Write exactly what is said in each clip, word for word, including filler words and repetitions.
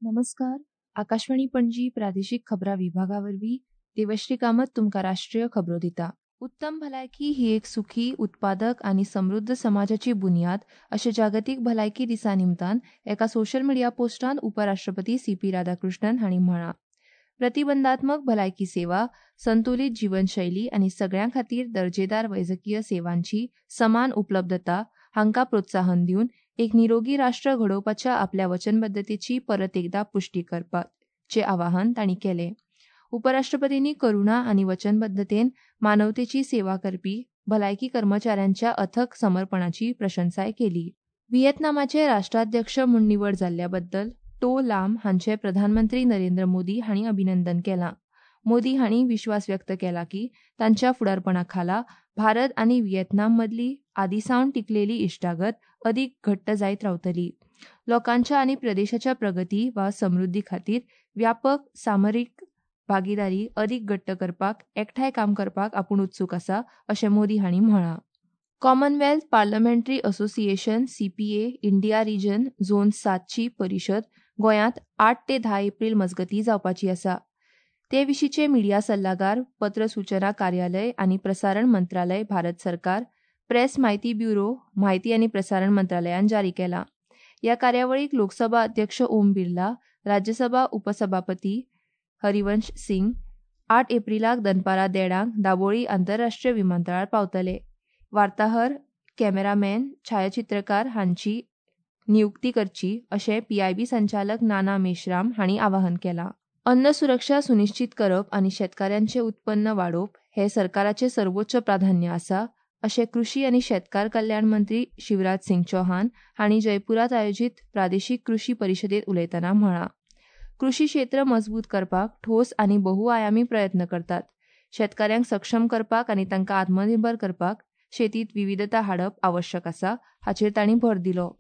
नमस्कार, आकाशवाणी पणजी प्रादेशीक खबरां विभागा वरवीं देवश्री कामत तुमकां राष्ट्रीय खबरो दिता. उत्तम भलायकी ही एक सुखी, उत्पादक आनी समृद्ध समाजाची बुन्याद अशें जागतीक भलायकी दिसा निमतान एका सोशल मिडिया पोस्टांत उपराष्ट्रपती सी पी राधाकृष्णन हांणी म्हळां. प्रतिबंधात्मक भलायकी सेवा, संतुलीत जीवनशैली आनी सगळ्यां खातीर दर्जेदार वैजकीय सेवांची समान उपलब्धता हांकां प्रोत्साहन दिवन एक निरोगी राष्ट्र घडोवपाच्या आपल्या वचनबद्धतेची परत एकदा पुष्टी करपाचें आवाहन तांणी केलें. उपराष्ट्रपतींनी करुणा आनी वचनबद्धतेन मानवतेची सेवा करपी भलायकी कर्मचाऱ्यांच्या अथक समर्पणाची प्रशंसाय केली. व्हिएतनामाचे राष्ट्राध्यक्ष म्हूण निवड जाल्ल्या बद्दल टो लाम हांचे प्रधानमंत्री नरेंद्र मोदी हांणी अभिनंदन केलां. मोदी हांणी विश्वास व्यक्त केला की तांच्या फुडारपणा खाला भारत आनी व्हिएतनाम मदली आदीसावन टिकलेली इश्टागत अदीक घट्ट जायत रावतली. लोकांच्या आनी प्रदेशाच्या प्रगती वा समृद्धी खातीर व्यापक सामरीक भागीदारी अदीक घट्ट करपाक एकठांय काम करपाक आपूण उत्सूक आसा अशें मोदी हांणी म्हळां. Commonwealth parliamentary association C P A India region zone सातची परिशद गोंयांत आठ ते धा एप्रील मजगतीं जावपाची आसा. ते विशींचे मिडिया सल्लागार, पत्र सूचना कार्यालय आनी प्रसारण मंत्रालय, भारत सरकार, प्रेस म्हायती ब्युरो, म्हायती आनी प्रसारण मंत्रालयान जारी केला. ह्या कार्यावळीक लोकसभा अध्यक्ष ओम बिर्ला, राज्यसभा उपसभापती हरिवंश सिंग आठ एप्रिलाक दनपारां देडांक दाबोळी आंतरराष्ट्रीय विमानतळार पावतले. वार्ताहर, कॅमेरामॅन, छायाचित्रकार हांची नियुक्ती करची अशें पीआयबी संचालक नाना मेश्राम हांणी आवाहन केलां. अन्न सुरक्षा सुनिश्चीत करप आनी शेतकाऱ्यांचें उत्पन्न वाडोवप हें सरकाराचें सर्वोच्च प्राधान्य आसा अशें कृशी आनी शेतकार कल्याण मंत्री शिवराज सिंग चौहान हांणी जयपुरांत आयोजीत प्रादेशीक कृशी परिशदेंत उलयतना म्हळां. कृशी क्षेत्र मजबूत करपाक ठोस आनी बहुआयामी प्रयत्न करतात. शेतकाऱ्यांक सक्षम करपाक आनी तांकां आत्मनिर्भर करपाक शेतींत विविधता हाडप आवश्यक आसा हाचेर तांणी भर दिलो.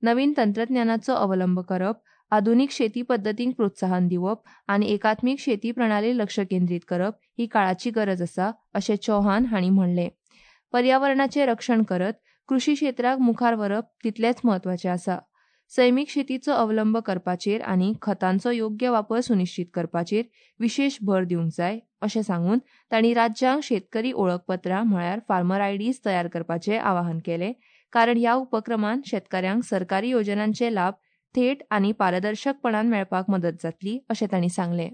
नवीन तंत्रज्ञानाचो अवलंब करप, आधुनीक शेती पद्दतींक प्रोत्साहन दिवप आनी एकात्मीक शेती प्रणाली लक्ष केंद्रीत करप ही काळाची गरज आसा अशें चौहान हांणी म्हणलें. पर्यावरणाचें रक्षण करत कृशी क्षेत्राक मुखार व्हरप तितलेंच म्हत्वाचें आसा. सैमीक शेतीचो अवलंब करपाचेर आनी खतांचो योग्य वापर सुनिश्चीत करपाचेर विशेश भर दिवंक जाय अशें सांगून तांणी राज्यांक शेतकरी ओळखपत्रां म्हळ्यार फार्मर आयडीज तयार करपाचें आवाहन केलें, कारण ह्या उपक्रमान शेतकाऱ्यांक सरकारी योजनांचे लाभ थेट आनी पारदर्शकपणान मेळपाक मदत जातली अशें तांणी सांगलें.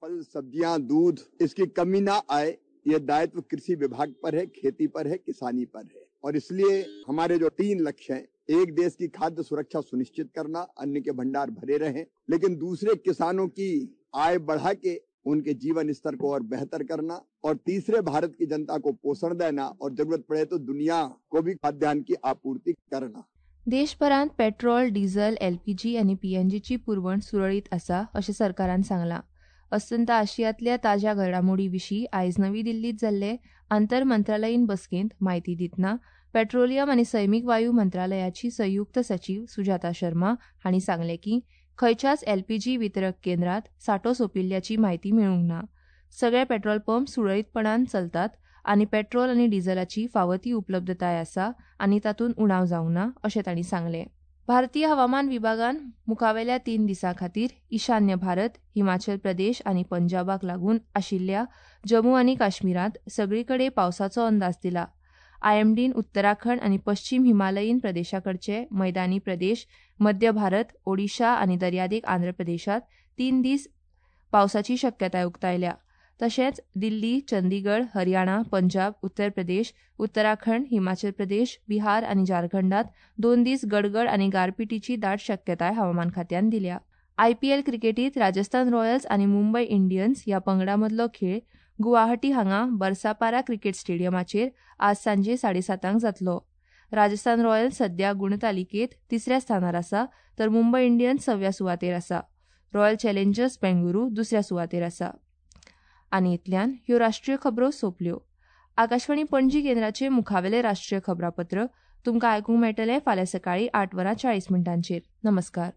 फल, सब्जियां, दूध इसकी कमी ना आए, ये दायित्व कृषि विभाग पर है, खेती पर है, किसानी पर है। और इसलिए हमारे जो तीन लक्ष्य हैं, एक देश की खाद्य सुरक्षा सुनिश्चित करना, अन्न के भंडार भरे रहें, लेकिन दूसरे किसानों की आय बढ़ा के उनके जीवन स्तर को और बेहतर करना, और तीसरे भारत की जनता को पोषण देना और जरूरत पड़े तो दुनिया को भी खाद्यान्न की आपूर्ति करना। देशभरांत पेट्रोल, डिझल, एलपीजी आनी पीएनजीची पुरवण सुरळीत आसा अशें सरकारान सांगलां. अस्तंत आशियांतल्या ताज्या घडामोडी विशीं आयज नवी दिल्लींत जाल्ले आंतर मंत्रालयीन बसकेंत म्हायती दितना पेट्रोलियम आनी सैमीक वायू मंत्रालयाची संयुक्त सचीव सुजाता शर्मा हांणी सांगलें की खंयच्याच एलपीजी वितरक केंद्रांत सांठो सोंपिल्ल्याची म्हायती मेळूंक ना. सगळे पेट्रोल पंप सुरळीतपणान चलतात आनी पेट्रोल आनी डिझलाची फावो ती उपलब्धताय आसा आनी तातूंत उणाव जावंक ना अशें तांणी सांगलें. भारतीय हवामान विभागान मुखावेल्या तीन दिसां खातीर ईशान्य भारत, हिमाचल प्रदेश आनी पंजाबाक लागून आशिल्ल्या जम्मू आनी काश्मीरांत सगळी कडेन पावसाचो अंदाज दिला. आयएमडीन उत्तराखंड आनी पश्चिम हिमालयीन प्रदेशाकडचे मैदानी प्रदेश, मध्य भारत, ओडिशा आनी दर्यादेग आंध्र प्रदेशांत तीन दीस पावसाची शक्यताय उक्तायल्या. तशेंच दिल्ली, चंदीगड, हरियाणा, पंजाब, उत्तर प्रदेश, उत्तराखंड, हिमाचल प्रदेश, बिहार आनी झारखंडात दोन दीस गडगड आनी गारपिटीची दाट शक्यताय हवामान खात्यान दिल्या. आयपीएल क्रिकेटीत राजस्थान रॉयल्स आनी मुंबय इंडियन्स ह्या पंगडा मदलो खेळ गुवाहाटी हांगा बरसापारा क्रिकेट स्टेडियमाचेर आज सांजे साडेसातांक जातलो. राजस्थान रॉयल्स सध्या गुणतालिकेत तिसऱ्या स्थानार आसा तर मुंबय इंडियन्स सव्या सुवातेर आसा. रॉयल चॅलेंजर्स बेंगळुरू दुसऱ्या सुवातेर आसा. आनी इतल्यान ह्यो राष्ट्रीय खबरो सोंपल्यो. आकाशवाणी पणजी केंद्राचे मुखावेले राष्ट्रीय खबरापत्र तुमकां आयकूंक मेळटलें फाल्यां सकाळीं आठ वरां चाळीस मिनटांचेर. नमस्कार.